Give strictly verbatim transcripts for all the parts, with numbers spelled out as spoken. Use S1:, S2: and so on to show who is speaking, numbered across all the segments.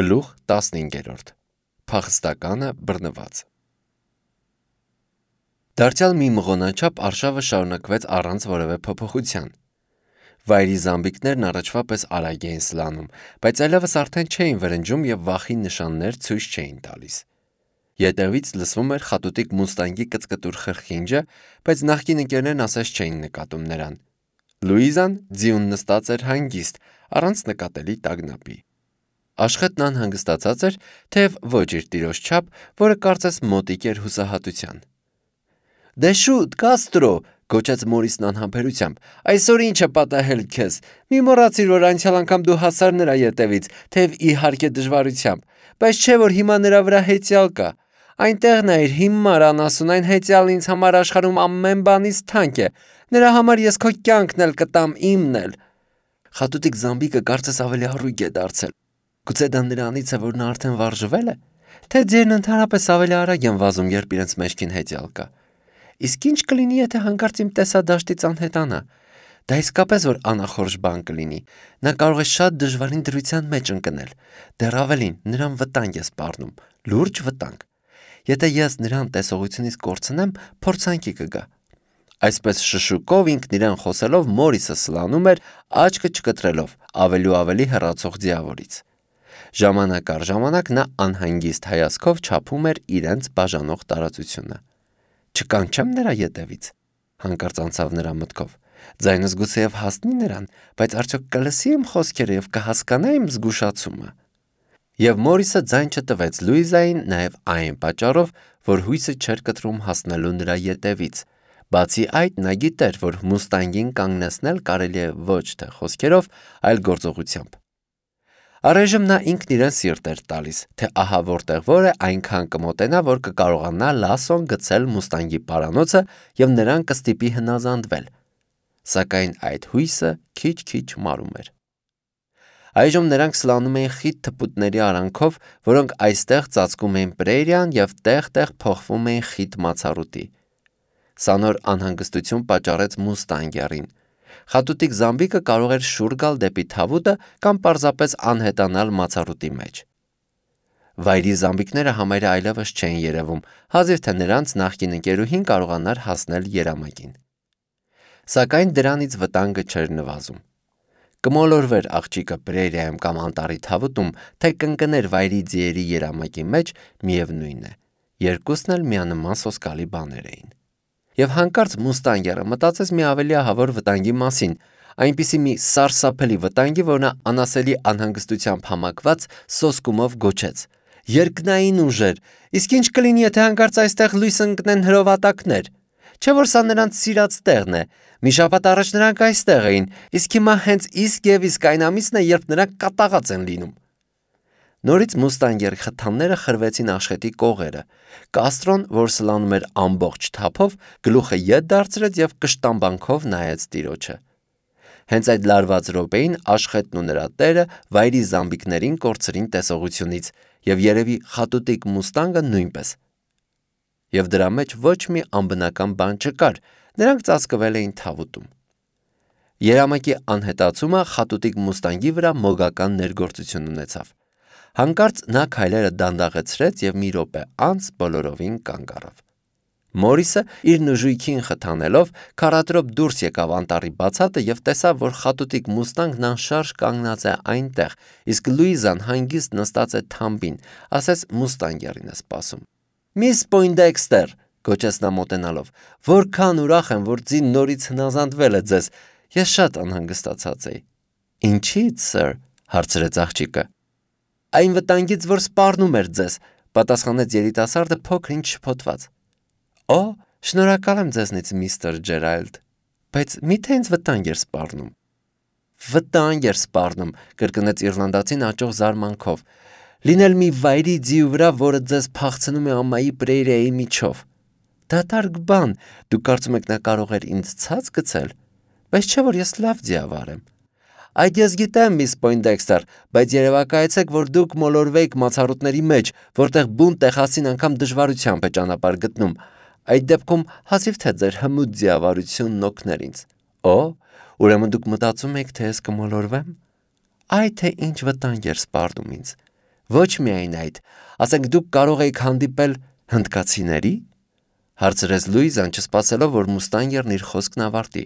S1: Գլուխ տասնհինգերորդ Փախստականը բռնված Դարձյալ մի մղոնաչափ արշավը շարունակվեց առանց որևէ փոփոխության։ Վայրի զամբիկներն առաջվա պես արագ էին սլանում, բայց այլևս արդեն չէին վրնջում և վախի նշաններ ցույց չէին տալիս։ Ետևից լսվում էր խատուտիկ մուստանգի կծկտուր խրխինջը, բայց նախկին ընկերներն ասես չէին նկատում նրան։ Լուիզան ձիուն նստած էր հանգիստ, առանց նկատելի տագնապի։ Աշխետն անհանգստացած էր, թեև ոչ իր տիրոջ չափ, որը կարծես մոտիկ էր հուսահատության։ «Դե շուտ, Կաստրո», գոչեց Մորիսն անհամբերությամբ, «այսօր ինչ է պատահել քեզ։ Մի մոռացիր, որ անցյալ անգամ դու հասար նրա ետևից, թեև իհարկե դժվարությամբ, բայց չէ որ հիմա նրա վրա հեծյալ կա։ Այնտեղ նայիր, հիմար անասուն, այն հեծյալն ինձ համար աշխարհում ամեն բանից թանկ է։ Նրա համար ես քո կյանքն էլ կտամ, իմն էլ»։ Խատուտիկ զամբիկը կարծես ավելի առույգ է դարձել։ Գուցե դա նրանից է, որ նա արդեն վարժվել է, թե ձերն ընդհանրապես ավելի արագ են վազում, երբ իրենց մեջքին հեծյալ կա։ Իսկ ինչ կլինի, եթե հանկարծ իմ տեսադաշտից անհետանա։ Դա իսկապես որ անախորժ բան կլինի։ Նա կարող է շատ դժվարին դրության մեջ ընկնել։ Դեռ ավելին, նրան վտանգ է սպառնում, լուրջ վտանգ։ Եթե ես նրան տեսողությունից կորցնեմ, փորձանքի կգա։ Այսպես շշուկով ինքն իրեն խոսելով Մորիսը սլանում էր, աչքը չկտրելով, ավելի ու ավելի հեռացող ձիավորից։ Ժամանակ առ ժամանակ նա անհանգիստ հայացքով չափում էր իրենց բաժանող տարածությունը։ Չկանչեմ նրա ետևից, հանկարծ անցավ նրա մտքով։ Ձայնս գուցեև հասնի նրան, բայց արդյոք կլսի իմ խոսքերը և կհասկանա իմ զգուշացումը։ Եվ Մորիսը ձայն չտվեց Լուիզային նաև այն պատճառով, որ հույսը չէր կտրում հասնելու նրա ետևից։ Բացի այդ, նա գիտեր, որ մուստանգին կանգնեցնել կարելի է ոչ թե խոսքերով, այլ գործողությամբ։ Առայժմ նա ինքն իրեն սիրտ էր տալիս, թե ահա որտեղ որ է այնքան կմոտենա, որ կկարողանա Լասոն գցել մուստանգի պարանոցը և նրան կստիպի հնազանդվել։ Սակայն այդ հույսը քիչ-քիչ մարում էր։ Այժմ նրանք սլանում էին խիտ թփուտների արանքով, որոնք այստեղ ծածկում էին պրերիան և տեղ-տեղ փոխվում էին խիտ մացառուտի։ Սա նոր անհանգստություն պատճառեց մուստանգերին։ Խատուտիկ զամբիկը կարող էր շուռ գալ դեպի թավուտը կամ պարզապես անհետանալ մացառուտի մեջ։ Վայրի զամբիկները համարյա այլևս չէին երևում, հազիվ թե նրանց նախկին ընկերուհին կարողանար հասնել երամակին։ Սակայն դրանից վտանգը չէր նվազում։ Կմոլորվեր աղջիկը պրերիայում կամ անտառի թավուտում, թե կընկներ վայրի ձիերի երամակի մեջ, միևնույն է, երկուսն էլ միանման սոսկալի բաներ էին։ Եվ հանկարծ մուստանգերը մտածեց մի ավելի ահավոր վտանգի մասին, այնպիսի մի սարսափելի վտանգի, որ նա անասելի անհանգստությամբ համակված սոսկումով գոչեց. «Երկնային ուժեր, իսկ ինչ կլինի, եթե հանկարծ այստեղ լույս ընկնեն հրովատակներ։ Չէ՞ որ սա նրանց սիրած տեղն է։ Մի շաբաթ առաջ նրանք այստեղ էին, իսկ հիմա հենց իսկ և իսկ այն ամիսն է, երբ նրանք կատաղած են լինում»։ Նորից մուստանգերի խթանները խրվեցին աշխետի կողերը։ Կաստրոն, որ սլանում էր ամբողջ թափով, գլուխը ետ դարձրեց և կշտամբանքով նայեց տիրոջը։ Հենց այդ լարված րոպեին աշխետն ու նրա տերը վայրի զամբիկներին կորցրին տեսողությունից, և երևի խատուտիկ մուստանգը նույնպես։ Եվ դրա մեջ ոչ մի անբնական բան չկար, նրանք ծածկվել էին թավուտում։ Երամակի անհետացումը խատուտիկ մուստանգի վրա մոգական ներգործություն ունեցավ։ Հանկարծ նա քայլերը դանդաղեցրեց և մի րոպե անց բոլորովին կանգ առավ։ Մորիսը իր նժույգին խթանելով քառատրոպ դուրս եկավ անտառի բացատը և տեսավ, որ խատուտիկ մուստանգն անշարժ կանգնած է այնտեղ, իսկ Լուիզան հանգիստ նստած է թամբին, ասես մուստանգերին է սպասում։ «Միս Պոյնդեքստեր», գոչեց նա մոտենալով, «որքան ուրախ եմ, որ ձին նորից հնազանդվել է ձեզ, ես շատ անհանգստացած էի»։ «Ինչի՞ց, սըր», հարցրեց աղջիկը։ «Այն վտանգից, որ սպառնում էր ձեզ», պատասխանեց երիտասարդը փոքր-ինչ շփոթված։ «Օ, շնորհակալ եմ ձեզնից, միստր Ջերալդ, բայց միթե ինձ վտանգ էր սպառնում»։ «Վտանգ էր սպառնում», կրկնեց իռլանդացին աճող զարմանքով։ «Լինել մի վայրի ձիու վրա, որը ձեզ փախցնում է ամայի պրերիայի միջով։ Դատարկ բան, դուք կարծում եք նա կարող էր ինձ ցած գցել, բայց չէ որ ես լավ ձիավար եմ»։ «Այդ ես գիտեմ, միս Պոյնդեքստեր, բայց երևակայեցեք, որ դուք մոլորվեիք մացառուտների մեջ, որտեղ բուն տեխասին անգամ դժվարությամբ է ճանապարհ գտնում։ Այդ դեպքում հազիվ թե ձեր հմուտ ձիավարությունն օգներ ինձ»։ «Օ, ուրեմն դուք մտածում եք, թե ես կմոլորվեմ»։ «Այ թե ինչ վտանգ էր սպառնում ինձ։ Ոչ միայն այդ, ասենք դուք կարող եք հանդիպել հնդկացիների, հարցրեց Լուիզան, չսպասելով, որ Մուստանգերն իր խոսքն ավարտի։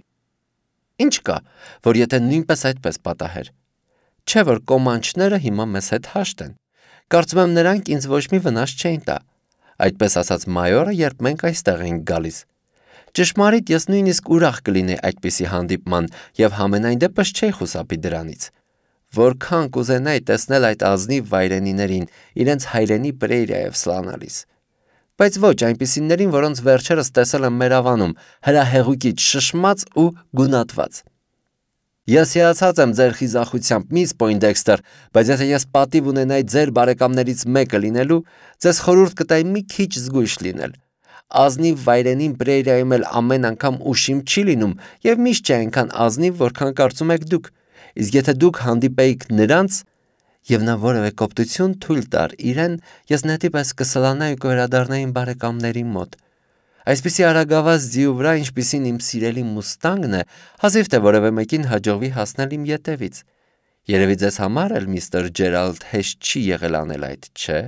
S1: Ինչ կա, որ եթե նույնպես այդպես պատահեր։ Չէ՞ որ կոմանչները հիմա մեզ հետ հաշտ են։ Կարծում եմ նրանք ինձ ոչ մի վնաս չէին տա։ Այդպես ասաց մայորը, երբ մենք այստեղ էինք գալիս։ Ճշմարիտ, ես նույնիսկ ուրախ կլինեի այդպիսի հանդիպման եւ համենայն դեպս չէի խուսափի դրանից։ Որքան կուզենայի տեսնել այդ ազնիվ վայրենիներին, իրենց հայրենի պրերիայով սլանալիս։ Բայց ոչ այնպիսիներին, որոնց վերջերս տեսել եմ մեր ավանում, հրահեղուկից շշմած ու գունատված։ Ես հիացած եմ ձեր խիզախությամբ, միս Պոյնդեքստեր, բայց եթե ես պատիվ ունենայի ձեր բարեկամներից մեկը լինելու, ձեզ խորհուրդ կտայի մի քիչ զգույշ լինել։ Ազնիվ վայրենին պրերիայում էլ ամեն անգամ ուշիմ չի լինում եւ միշտ չէ այնքան ազնիվ, որքան կարծում եք դուք։ Իսկ եթե դուք հանդիպեիք նրանց, եւ նա որևէ կոպտություն թույլ տար իրեն, ես նետի պես կսլանայի ու կվերադառնայի իմ բարեկամների մոտ։ Այսպիսի արագավազ ձիու վրա, ինչպիսին իմ սիրելի Մուստանգն է, հազիվ թե որևէ մեկին հաջողվի հասնել իմ ետևից։ Երևի ձեզ համար էլ միստր Ջերալդ հեշտ չի եղել անել այդ, չէ՞։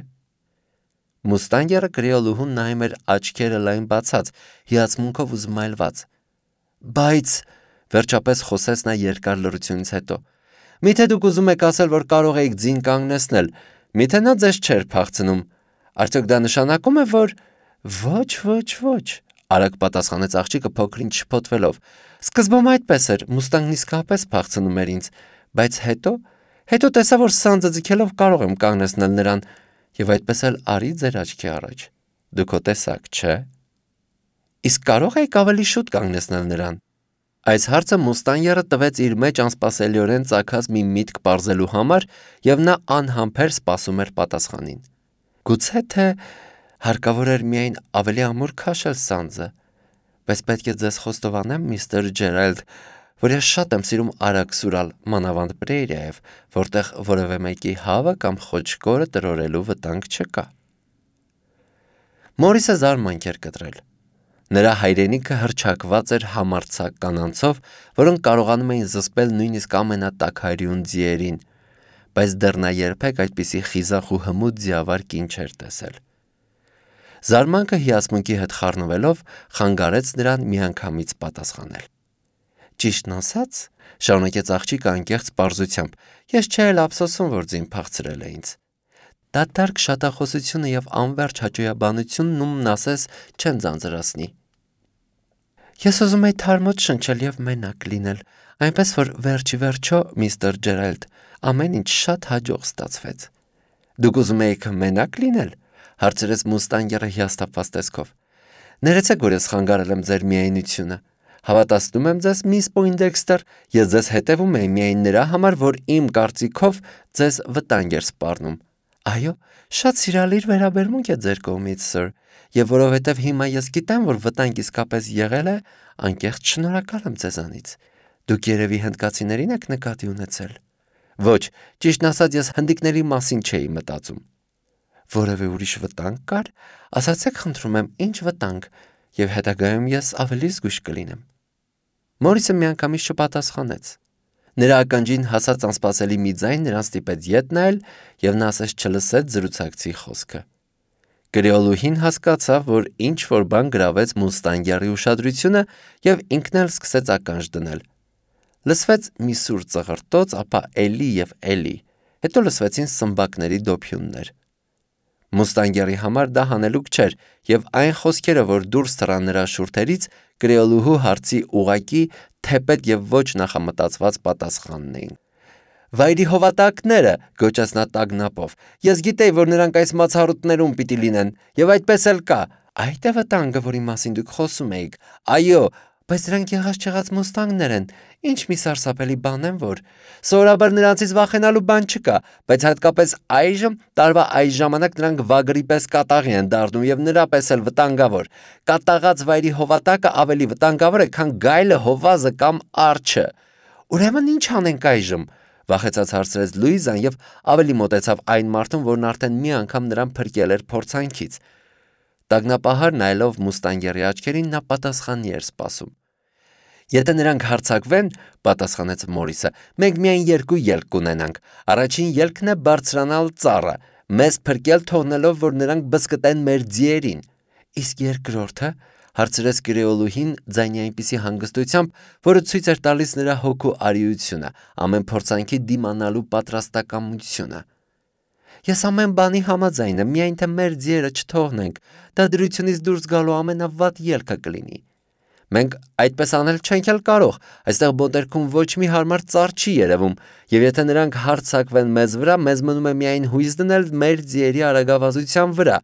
S1: Մուստանգերը կրեոլուհուն նայում էր աչքերը լայն բացած, հիացմունքով ու զմայլված։ Բայց, վերջապես խոսեց նա երկար լռությունից հետո, միթե դուք ուզում եք ասել, որ կարող էիք ձին կանգնեցնել, միթե նա ձեզ չէր փախցնում։ Արդյոք դա նշանակում է, որ… Ոչ, ոչ, ոչ, արագ պատասխանեց աղջիկը փոքրինչ շփոթվելով։ Սկզբում այդպես էր, Մուստանգն իսկապես փախցնում էր ինձ, բայց հետո, հետո տեսա, որ սանձը ձգելով կարող եմ կանգնեցնել նրան, եւ այդպես էլ արի ձեր աչքի առաջ։ Դուք ո տեսաք, չէ՞։ Իսկ կարող եք ավելի շուտ կանգնեցնել նրան։ Այս հարցը Մուստանգերը տվեց իր մեջ անսպասելիորեն ծագած մի միտք պարզելու համար, եւ նա անհամբեր սպասում էր պատասխանին։ Գուցե թե հարկավոր էր միայն ավելի ամուր քաշել սանձը, բայց պետք է ձեզ խոստովանեմ, միստր Ջերալդ, որ ես շատ եմ սիրում արագ սուրալ, մանավանդ պրերիայով, որտեղ որևէ մեկի հավը կամ խոչկորը տրորելու վտանգ չկա։ Մորիսը զարմանք էր կտրել։ Նրա հայրենիքը հռչակված էր համարձակ կանանցով, որոնք կարողանում էին զսպել նույնիսկ ամենատաքարյուն ձիերին, բայց դեռ նա երբեք այդպիսի խիզախ ու հմուտ ձիավար կին չէր տեսել։ Զարմանքը հիացմունքի հետ խառնվելով խանգարեց նրան միանգամից պատասխանել։ Ճիշտն ասած, շարունակեց աղջիկը անկեղծ պարզությամբ, ես չէի էլ ափսոսում, որ ձին փախցրել է ինձ։ Դատարկ շատախոսությունը եւ անվերջ հաճոյաբանությունն ումն ասես չեն ձանձրացնի։ Ես ուզում եի թարմոտ շնչել եւ մենակ լինել, այնպես որ վերջի վերջո, միստր Ջերալդ, ամեն ինչ շատ հաջող ստացվեց։ Դուք ուզում եք մենակ լինել, հարցրեց Մուստանգերը հիասթափված տեսքով։ Ներեցեք, որ ես խանգարել եմ ձեր միայնությունը։ Հավատացնում եմ ձեզ, միս Պոյնդեքստեր, ես ձեզ հետևում եմ միայն նրա համար, որ իմ կարծիքով ձեզ վտանգ էր սպառնում։ Այո, շատ սիրալիր վերաբերմունք է ձեր կողմից, սըր, եւ որովհետեւ հիմա ես գիտեմ, որ վտանգ իսկապես եղել է, անկեղծ շնորհակալ եմ ձեզանից։ Դուք երևի հնդկացիներին եք նկատի ունեցել։ Ոչ, ճիշտն ասած, ես հնդիկների մասին չէի մտածում։ Որևէ ուրիշ վտանգ կար, ասացեք խնդրում եմ, ինչ վտանգ, եւ հետագայում ես ավելի զգույշ կլինեմ։ Մորիսը միանգամից չպատասխանեց։ Նրա ականջին հասած անսպասելի մի ձայն նրան ստիպեց ետ նայել, եւ նա ասես չլսեց զրուցակցի խոսքը։ Կրեոլուհին հասկացավ, որ ինչ որ բան գրավեց Մուստանգերի ուշադրությունը եւ ինքն էլ սկսեց ականջ դնել։ Լսվեց մի սուր ծղրտոց, ապա էլի եւ էլի, հետո լսվեցին սմբակների դոփյուններ։ Մուստանգերի համար դա հանելուկ չէր, եւ այն խոսքերը, որ դուրս թռան նրա շուրթերից, կրեոլուհու հարցի ուղակի թեպետ եւ ոչ նախամտածված պատասխանն էին։ Վայրի հովատակները, գոչաց նա տագնապով, ես գիտեի, որ նրանք այս մացառուտներում պիտի լինեն, եւ այդպես էլ կա։ Այդ է վտանգը, որի մասին դուք խոսում էիք։ Այո, բայց նրանք եղած չեղած Մուստանգներ են, ինչ մի սարսափելի բան են, որ սովորաբար նրանցից վախենալու բան չկա, բայց հատկապես այժմ, տարվա այս ժամանակ նրանք վագրի պես կատաղի են դառնում եւ նրա պես էլ վտանգավոր։ Կատաղած վայրի հովատակը ավելի վտանգավոր է, քան գայլը, հովազը կամ արջը։ Ուրեմն ինչ անենք այժմ, վախեցած հարցրեց Լուիզան եւ ավելի մոտեցավ այն մարդուն, որն արդեն մի անգամ նրան փրկել էր փորձանքից։ Տագնապահար նայելով Մուստանգերի աչքերին, նա պատասխանի էր սպասում։ Եթե նրանք հարձակվեն, պատասխանեց Մորիսը, մենք միայն երկու ելք կունենանք։ Առաջին ելքն է բարձրանալ ծառը, մեզ փրկել թողնելով, որ նրանք բզկտեն մեր ձիերին։ Իսկ երկրորդը, հարցրեց գրեոլուհին ձայնի այնպիսի հանգստությամբ, որը ցույց էր տալիս նրա հոգու արիությունը, ամեն փորձանքի դիմանալու պատրաստակամությունը։ Ես ամեն բանի համաձայն եմ, միայն թե մեր ձիերը չթողնենք, դա դրությունից դուրս գալու ամենավատ ելքը կլինի։ Մենք այդպես անել չենք էլ կարող, այստեղ բոտերքում ոչ մի հարմար ծառ չի երևում, եւ եթե նրանք հարձակվեն մեզ վրա, մեզ մնում է միայն հույս դնել մեր ձիերի արագավազության վրա։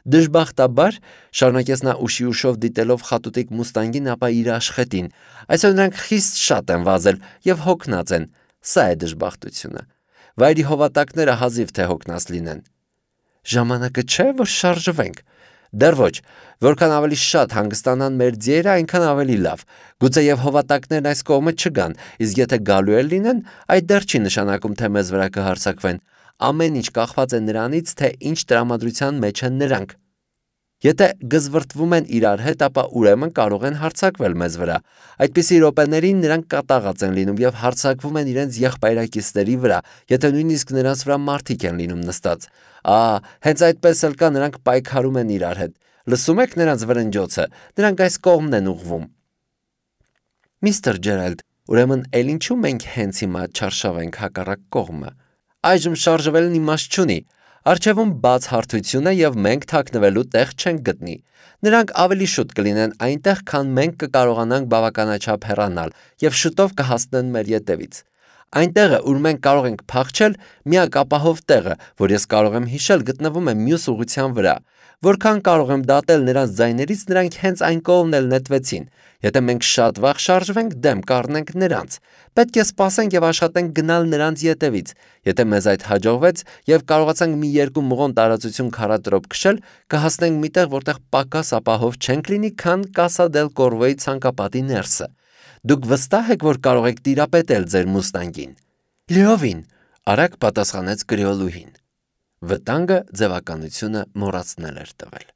S1: Դժբախտաբար, շարունակեց նա ուշի ուշով դիտելով խատուտիկ մուստանգին, ապա իր աշխատին, այսօր նրանք խիստ շատ են վազել եւ հոգնած են, սա է դժբախտությունը։ Վայրի հովատակները հազիվ թե հոգնած լինեն։ Ժամանակը չէ, որ շարժվենք։ Դեռ ոչ, որքան ավելի շատ հանգստանան մեր ձիերը, այնքան ավելի լավ։ Գուցե եւ հովատակներն այս կողմը չգան, իսկ եթե գալու էլ լինեն, այդ դեռ չի նշանակում, թե մեզ վրա կհարձակվեն։ Ամեն ինչ կախված է նրանից, թե ինչ տրամադրության մեջ են նրանք։ Եթե գզվրտվում են իրար հետ, ապա ուրեմն կարող են հարձակվել մեզ վրա։ Այդպիսի րոպեներին նրանք կատաղած են լինում եւ հարձակվում են իրենց եղբայրակիցների վրա, եթե նույնիսկ նրանց վրա մարդիկ են լինում նստած։ Ահա, հենց այդպես էլ կա, նրանք պայքարում են իրար հետ։ Լսում եք նրանց վրնջոցը, նրանք այս կողմն են ուղղվում։ Միստր Ջերալդ, ուրեմն էլ ինչու մենք հենց հիմա չարշավենք հակառակ կողմը։ Այժմ շարժվելն իմաստ չունի։ Առջևում բաց հարթություն է եւ մենք թաքնվելու տեղ չենք գտնի։ Նրանք ավելի շուտ կլինեն այնտեղ, քան մենք կկարողանանք բավականաչափ հեռանալ եւ շուտով կհասնեն մեր ետևից։ Այնտեղը, ուր մենք կարող ենք փախչել, միակ ապահով տեղը, որ ես կարող եմ հիշել, գտնվում է մյուս ուղղության վրա։ Որքան կարող եմ դատել նրանց ձայներից, նրանք հենց այն կողմն էլ նետվեցին։ Եթե մենք շատ վաղ շարժվենք, դեմ կառնենք նրանց։ Պետք է սպասենք եւ աշխատենք գնալ նրանց ետևից։ Եթե մեզ այդ հաջողվեց եւ կարողացանք մի երկու մղոն տարածություն քարատրոպ քշել, կհասնենք միտեղ, որտեղ պակաս ապահով չենք լինի, քան Կասա դել Կորվոյի ցանկապատի ներսը։ Դուք վստահ եք, որ կարող եք տիրապետել ձեր մուստանգին։ Լիովին, արագ պատասխանեց գրեոլուհին։ Վտանգը ձևականությունը մոռացնել էր տվել։